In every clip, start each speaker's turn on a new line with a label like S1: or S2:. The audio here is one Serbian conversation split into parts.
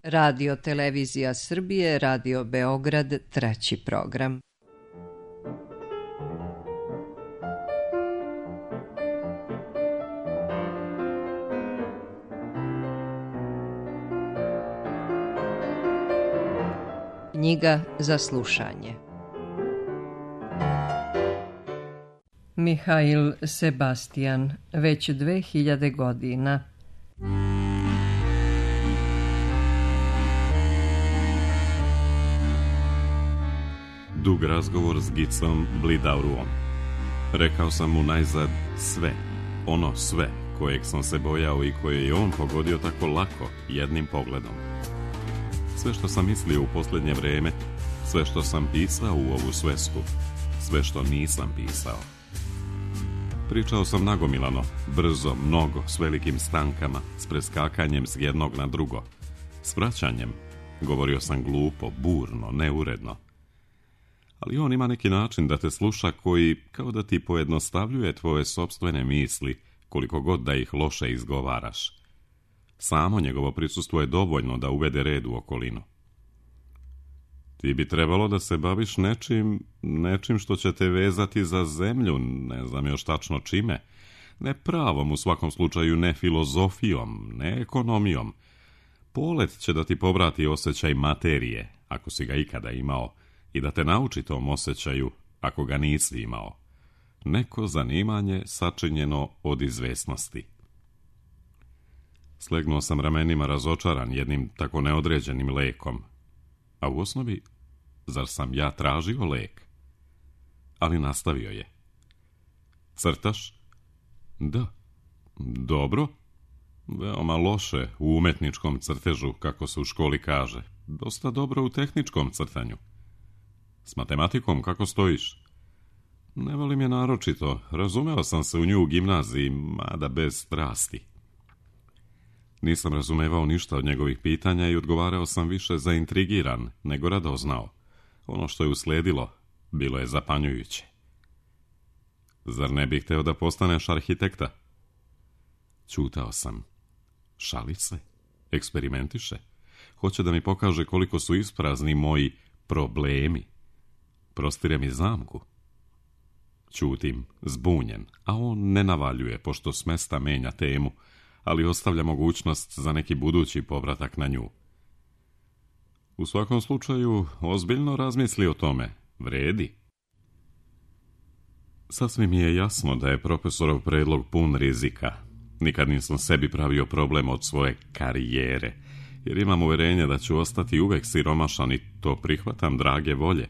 S1: Radio Televizija Srbije, Radio Beograd, treći program. Knjiga za slušanje. Mihail Sebastian, već 2000 godina.
S2: Dug razgovor s Gicom Blidauruom. Rekao sam mu najzad sve, ono sve kojeg sam se bojao i koje je on pogodio tako lako jednim pogledom. Sve što sam mislio u posljednje vrijeme, sve što sam pisao u ovu svesku, sve što nisam pisao. Pričao sam nagomilano, brzo, mnogo, s velikim stankama, s preskakanjem s jednog na drugo, s vraćanjem. Govorio sam glupo, burno, neuredno. Ali on ima neki način da te sluša koji kao da ti pojednostavljuje tvoje sopstvene misli, koliko god da ih loše izgovaraš. Samo njegovo prisustvo je dovoljno da uvede red u okolinu. Ti bi trebalo da se baviš nečim što će te vezati za zemlju, ne znam još tačno čime. Ne pravom, u svakom slučaju ne filozofijom, ne ekonomijom. Polet će da ti povrati osjećaj materije, ako si ga ikada imao, i da te nauči tom osjećaju, ako ga nisi imao. Neko zanimanje sačinjeno od izvesnosti. Slegnuo sam ramenima razočaran jednim tako neodređenim lekom. A u osnovi, zar sam ja tražio lek? Ali nastavio je. Crtaš? Da. Dobro. Veoma loše u umetničkom crtežu, kako se u školi kaže. Dosta dobro u tehničkom crtanju. S matematikom kako stojiš? Ne volim je naročito. Razumeo sam se u nju u gimnaziji, mada bez strasti. Nisam razumevao ništa od njegovih pitanja i odgovarao sam više zaintrigiran nego radoznao. Ono što je usledilo bilo je zapanjujuće. Zar ne bih hteo da postaneš arhitekta? Ćutao sam. Šali se? Eksperimentiše? Hoće da mi pokaže koliko su isprazni moji problemi. Prostire mi zamku. Ćutim, zbunjen, a on ne navaljuje, pošto s mesta menja temu, ali ostavlja mogućnost za neki budući povratak na nju. U svakom slučaju, ozbiljno razmisli o tome. Vredi. Sasvim mi je jasno da je profesorov predlog pun rizika. Nikad nisam sebi pravio problem od svoje karijere, jer imam uverenje da ću ostati uvek siromašan i to prihvatam drage volje.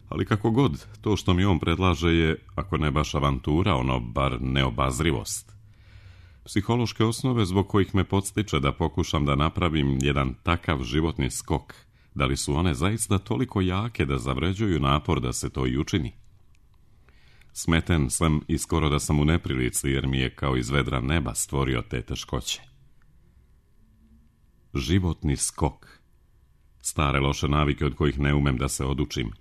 S2: Ali kako god, to što mi on predlaže je, ako ne baš avantura, ono bar neobazrivost. Psihološke osnove zbog kojih me podstiče da pokušam da napravim jedan takav životni skok, da li su one zaista toliko jake da zavređuju napor da se to i učini? Smeten sam i skoro da sam u neprilici, jer mi je kao iz vedra neba stvorio te teškoće. Životni skok. Stare loše navike od kojih ne umem da se odučim.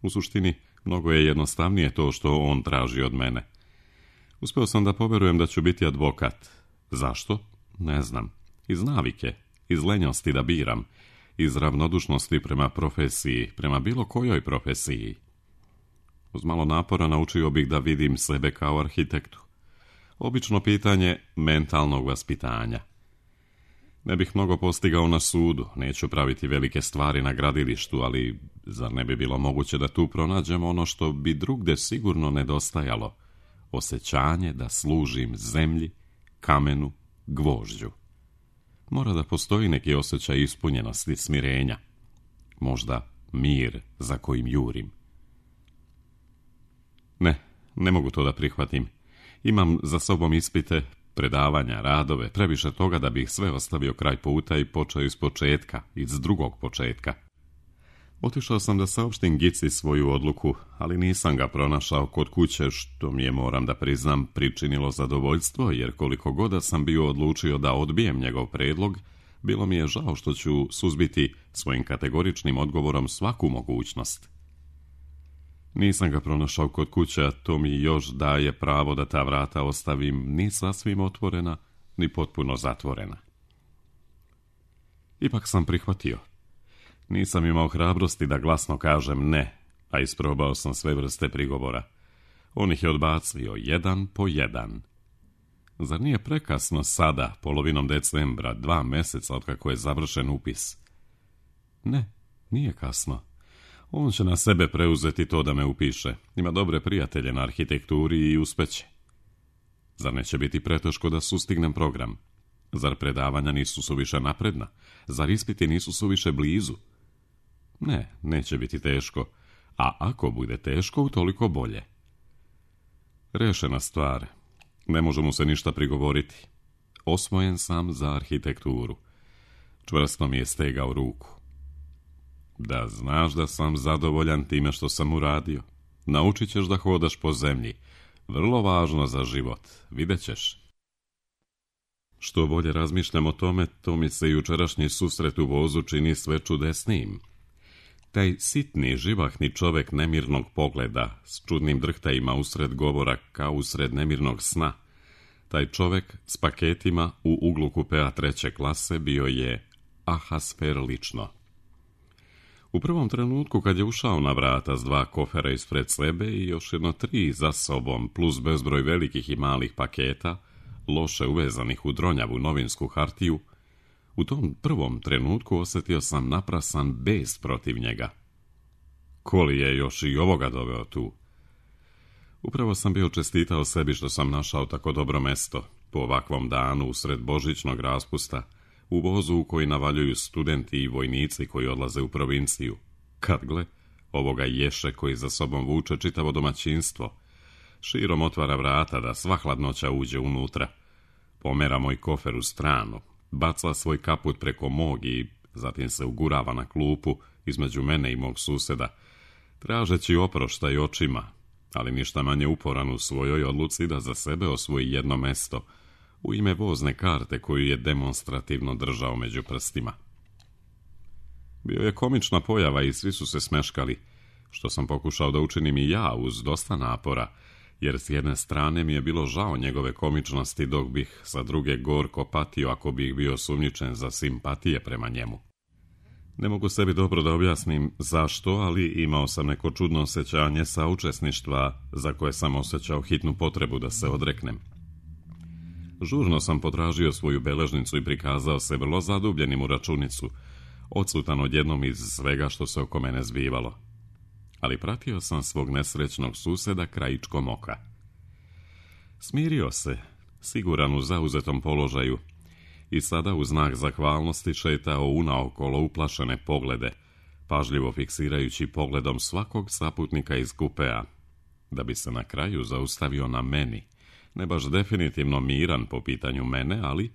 S2: U suštini, mnogo je jednostavnije to što on traži od mene. Uspeo sam da poverujem da ću biti advokat. Zašto? Ne znam. Iz navike, iz lenjosti da biram, iz ravnodušnosti prema profesiji, prema bilo kojoj profesiji. Uz malo napora naučio bih da vidim sebe kao arhitektu. Obično pitanje mentalnog vaspitanja. Ne bih mnogo postigao na sudu, neću praviti velike stvari na gradilištu, ali zar ne bi bilo moguće da tu pronađemo ono što bi drugde sigurno nedostajalo? Osjećanje da služim zemlji, kamenu, gvožđu. Mora da postoji neki osjećaj ispunjenosti, smirenja. Možda mir za kojim jurim. Ne mogu to da prihvatim. Imam za sobom ispite, predavanja, radove, previše toga da bih sve ostavio kraj puta i počeo iz početka, iz drugog početka. Otišao sam da saopštim Gici svoju odluku, ali nisam ga pronašao kod kuće, što mi je, moram da priznam, pričinilo zadovoljstvo, jer koliko god da sam bio odlučio da odbijem njegov predlog, bilo mi je žao što ću suzbiti svojim kategoričnim odgovorom svaku mogućnost. Nisam ga pronašao kod kuće, a to mi još daje pravo da ta vrata ostavim ni sasvim otvorena, ni potpuno zatvorena. Ipak sam prihvatio. Nisam imao hrabrosti da glasno kažem ne, a isprobao sam sve vrste prigovora. On ih je odbacio jedan po jedan. Zar nije prekasno sada, polovinom decembra, 2 mjeseca otkako je završen upis? Ne, nije kasno. On će na sebe preuzeti to da me upiše. Ima dobre prijatelje na arhitekturi i uspeće. Zar neće biti preteško da sustignem program? Zar predavanja nisu suviše napredna? Zar ispiti nisu suviše blizu? Ne, neće biti teško. A ako bude teško, utoliko bolje. Rešena stvar. Ne može mu se ništa prigovoriti. Osvojen sam za arhitekturu. Čvrsto mi je stegao ruku. Da znaš da sam zadovoljan time što sam uradio. Naučit ćeš da hodaš po zemlji. Vrlo važno za život. Vidjet ćeš. Što bolje razmišljam o tome, to mi se jučerašnji susret u vozu čini sve čudesnijim. Taj sitni, živahni čovek nemirnog pogleda, s čudnim drhtajima usred govora kao usred nemirnog sna, taj čovek s paketima u uglu kupea 3. klase bio je Ahasfer lično. U prvom trenutku kad je ušao na vrata s 2 kofera ispred sebe i još 3 za sobom, plus bezbroj velikih i malih paketa, loše uvezanih u dronjavu novinsku hartiju, u tom prvom trenutku osjetio sam naprasan bes protiv njega. Ko li je još i ovoga doveo tu? Upravo sam bio čestitao sebi što sam našao tako dobro mesto, po ovakvom danu usred božićnog raspusta, u vozu u koji navaljuju studenti i vojnici koji odlaze u provinciju. Kad gle, ovoga ješe koji za sobom vuče čitavo domaćinstvo. Širom otvara vrata da sva hladnoća uđe unutra. Pomera moj kofer u stranu, baca svoj kaput preko mog i zatim se ugurava na klupu između mene i mog suseda, tražeći oproštaj očima, ali ništa manje uporan u svojoj odluci da za sebe osvoji jedno mesto u ime vozne karte koju je demonstrativno držao među prstima. Bio je komična pojava i svi su se smeškali, što sam pokušao da učinim i ja uz dosta napora, jer s jedne strane mi je bilo žao njegove komičnosti, dok bih sa druge gorko patio ako bih bio sumnjičen za simpatije prema njemu. Ne mogu sebi dobro da objasnim zašto, ali imao sam neko čudno osjećanje saučesništva za koje sam osjećao hitnu potrebu da se odreknem. Žurno sam potražio svoju beležnicu i prikazao se vrlo zadubljenim u računicu, odsutan odjednom iz svega što se oko mene zbivalo. Ali pratio sam svog nesrećnog suseda krajičkom oka. Smirio se, siguran u zauzetom položaju, i sada u znak zahvalnosti šetao unaokolo uplašene poglede, pažljivo fiksirajući pogledom svakog saputnika iz kupea, da bi se na kraju zaustavio na meni, ne baš definitivno miran po pitanju mene, ali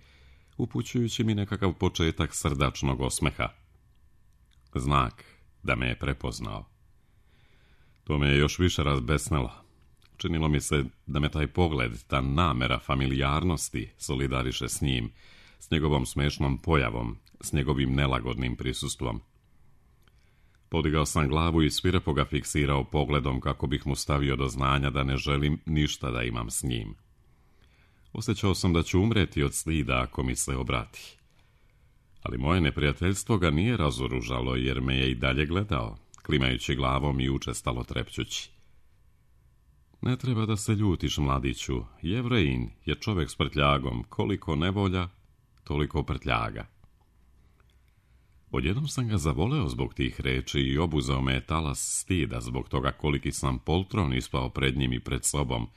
S2: upućujući mi nekakav početak srdačnog osmeha. Znak da me je prepoznao. To me je još više razbesnelo. Činilo mi se da me taj pogled, ta namera familijarnosti solidariše s njim, s njegovom smešnom pojavom, s njegovim nelagodnim prisustvom. Podigao sam glavu i svirepo ga fiksirao pogledom kako bih mu stavio do znanja da ne želim ništa da imam s njim. Osjećao sam da ću umreti od stida ako mi se obrati. Ali moje neprijateljstvo ga nije razoružalo jer me je i dalje gledao, klimajući glavom i učestalo trepćući. Ne treba da se ljutiš, mladiću, Jevrejin je čovjek s prtljagom, koliko nevolja, toliko prtljaga. Odjednom sam ga zavoleo zbog tih reči i obuzeo me je talas stida zbog toga koliki sam poltron ispao pred njim i pred sobom,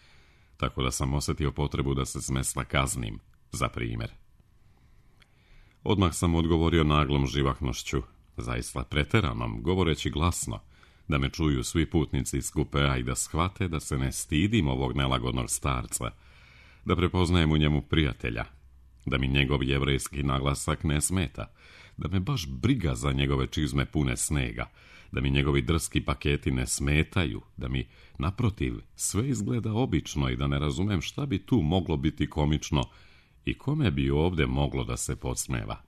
S2: tako da sam osjetio potrebu da se smesla kaznim, za primjer. Odmah sam odgovorio naglom živahnošću, zaista preteranom, govoreći glasno, da me čuju svi putnici iz kupea i da shvate da se ne stidim ovog nelagodnog starca, da prepoznajem u njemu prijatelja, da mi njegov jevrejski naglasak ne smeta, da me baš briga za njegove čizme pune snega, da mi njegovi drski paketi ne smetaju, da mi, naprotiv, sve izgleda obično i da ne razumem šta bi tu moglo biti komično i kome bi ovdje moglo da se podsmeva.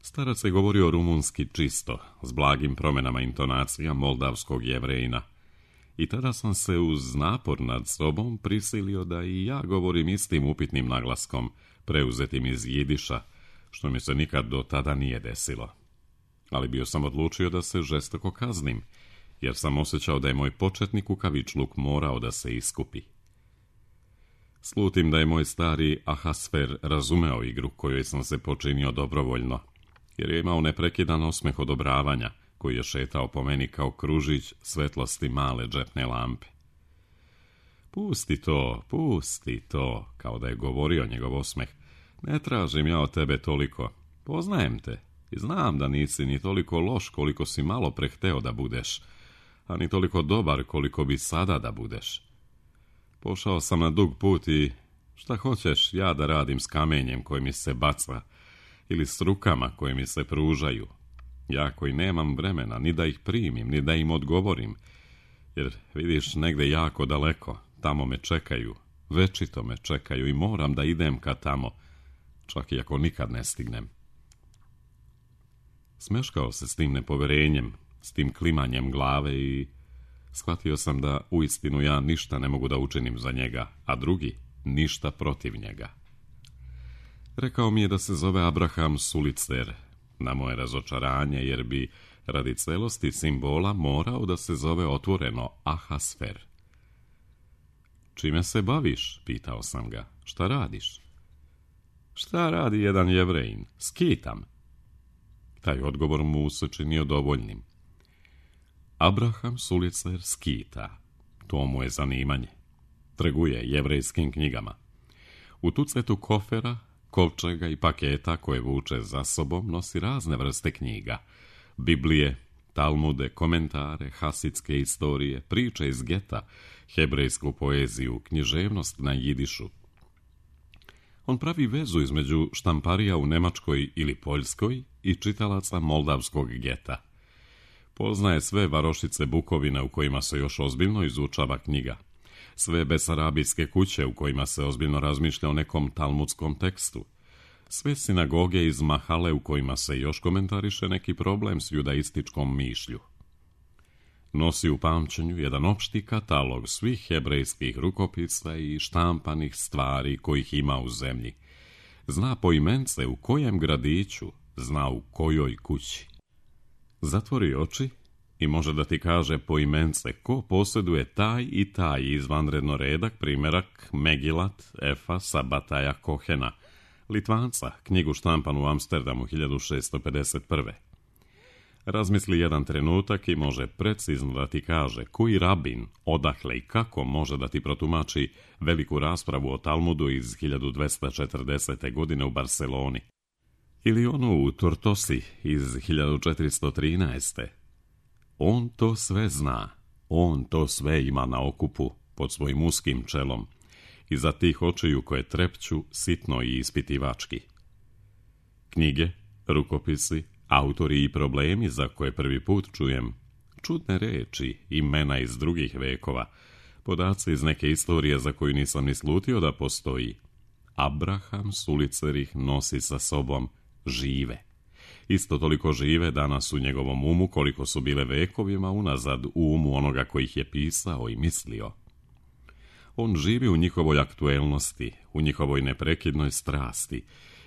S2: Starac je govorio rumunski čisto, s blagim promjenama intonacija moldavskog Jevrejina, i tada sam se uz napor nad sobom prisilio da i ja govorim istim upitnim naglaskom, preuzetim iz jidiša, što mi se nikad do tada nije desilo. Ali bio sam odlučio da se žestoko kaznim, jer sam osjećao da je moj početni kukavičluk morao da se iskupi. Slutim da je moj stari Ahasfer razumeo igru kojoj sam se počinio dobrovoljno, jer je imao neprekidan osmeh odobravanja, koji je šetao po meni kao kružić svetlosti male džepne lampe. Pusti to, kao da je govorio njegov osmeh. Ne tražim ja od tebe toliko. Poznajem te i znam da nisi ni toliko loš koliko si malo prehteo da budeš, a ni toliko dobar koliko bi sada da budeš. Pošao sam na dug put i šta hoćeš ja da radim s kamenjem koji mi se baca ili s rukama koje mi se pružaju. Ja koji nemam vremena ni da ih primim, ni da im odgovorim, jer vidiš negde jako daleko, tamo me čekaju, večito me čekaju i moram da idem ka tamo, čak i ako nikad ne stignem. Smeškao se s tim nepoverenjem, s tim klimanjem glave i shvatio sam da uistinu ja ništa ne mogu da učinim za njega, a drugi ništa protiv njega. Rekao mi je da se zove Abraham Sulicer, na moje razočaranje, jer bi radi celosti simbola morao da se zove otvoreno Ahasfer. Čime se baviš? Pitao sam ga. Šta radiš? Šta radi jedan Jevrejin? Skitam. Taj odgovor mu se činio dovoljnim. Abraham Sulicer skita. To mu je zanimanje. Trguje jevrejskim knjigama. U tucetu kofera, kovčega i paketa koje vuče za sobom nosi razne vrste knjiga. Biblije, talmude, komentare, hasidske istorije, priče iz geta, hebrejsku poeziju, književnost na jidišu. On pravi vezu između štamparija u Nemačkoj ili Poljskoj i čitalaca moldavskog geta. Poznaje sve varošice Bukovina u kojima se još ozbiljno izučava knjiga, sve besarabijske kuće u kojima se ozbiljno razmišlja o nekom talmudskom tekstu, sve sinagoge iz Mahale u kojima se još komentariše neki problem s judaističkom mišlju. Nosi u pamćenju jedan opšti katalog svih hebrejskih rukopisa i štampanih stvari kojih ima u zemlji. Zna poimence u kojem gradiću, zna u kojoj kući. Zatvori oči i može da ti kaže poimence ko posjeduje taj i taj izvanredno redak primerak Megilat Efa Sabataja Kohena, Litvanca, knjigu štampanu u Amsterdamu 1651. Razmisli jedan trenutak i može precizno da ti kaže koji rabin, odakle i kako može da ti protumači veliku raspravu o Talmudu iz 1240. godine u Barceloni. Ili onu u Tortosi iz 1413. On to sve zna, on to sve ima na okupu pod svojim uskim čelom, iza tih očiju koje trepću sitno i ispitivački. Knjige, rukopisi, autori i problemi za koje prvi put čujem, čudne reči, imena iz drugih vekova, podaci iz neke istorije za koju nisam ni slutio da postoji. Abraham Sulicer ih nosi sa sobom žive. Isto toliko žive danas u njegovom umu koliko su bile vekovima unazad u umu onoga koji ih je pisao i mislio. On živi u njihovoj aktuelnosti, u njihovoj neprekidnoj strasti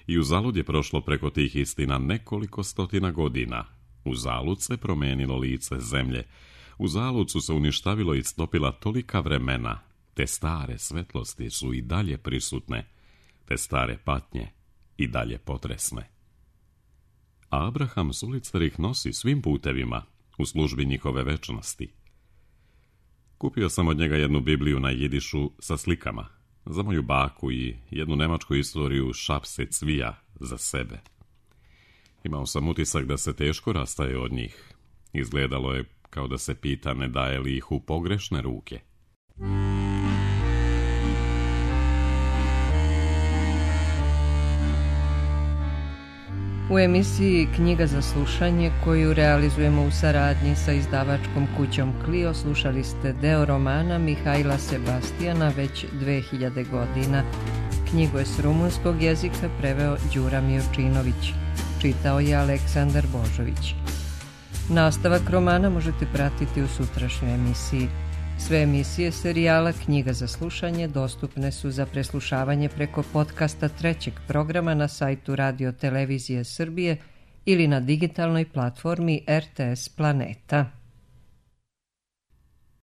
S2: i uzalud je prošlo preko tih istina nekoliko stotina godina. Uzalud se promenilo lice zemlje, uzalud su se uništavilo i stopila tolika vremena, te stare svetlosti su i dalje prisutne, te stare patnje i dalje potresne. A Abraham Sulicer ih nosi svim putevima u službi njihove večnosti. Kupio sam od njega jednu Bibliju na jidišu sa slikama, za moju baku i jednu nemačku istoriju Šapse Cvija za sebe. Imao sam utisak da se teško rastaje od njih. Izgledalo je kao da se pita ne daje li ih u pogrešne ruke.
S1: U emisiji Knjiga za slušanje, koju realizujemo u saradnji sa izdavačkom kućom Clio, slušali ste deo romana Mihajla Sebastijana već 2000 godina. Knjigu je s rumunskog jezika preveo Đura Mijurčinović. Čitao je Aleksandar Božović. Nastavak romana možete pratiti u sutrašnjoj emisiji. Sve emisije serijala Knjiga za slušanje dostupne su za preslušavanje preko podcasta trećeg programa na sajtu Radio Televizije Srbije ili na digitalnoj platformi RTS Planeta.